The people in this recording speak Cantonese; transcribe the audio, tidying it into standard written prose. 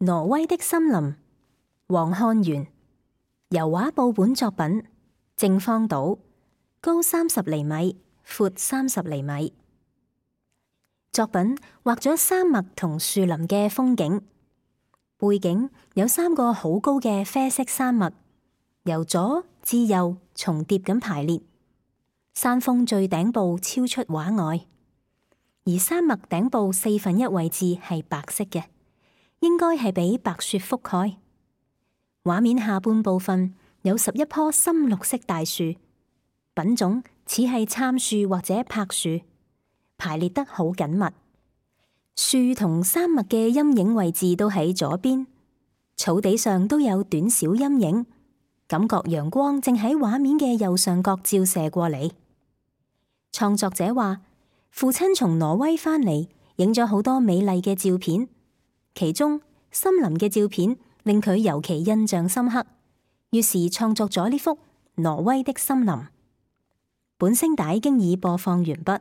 挪威的森林，黃漢元，油畫報本作品，正方島，高30厘米，闊30厘米。作品畫咗山脈同樹林嘅風景，背景有3個好高嘅啡色山脈，由左至右重疊咁排列，山峰最頂部超出畫外，而山脈頂部1/4位置係白色嘅，應該係俾白雪覆蓋。畫面下半部分有11棵深綠色大樹，品種似係杉樹或者柏樹，排列得好緊密。樹同山脈嘅陰影位置都喺左邊，草地上都有短小陰影，感覺陽光正喺畫面嘅右上角照射過嚟。創作者話，父親從挪威返嚟，影咗好多美麗嘅照片，其中森林嘅照片令佢尤其印象深刻，於是創作咗呢幅挪威的森林。本聲帶經已播放完畢。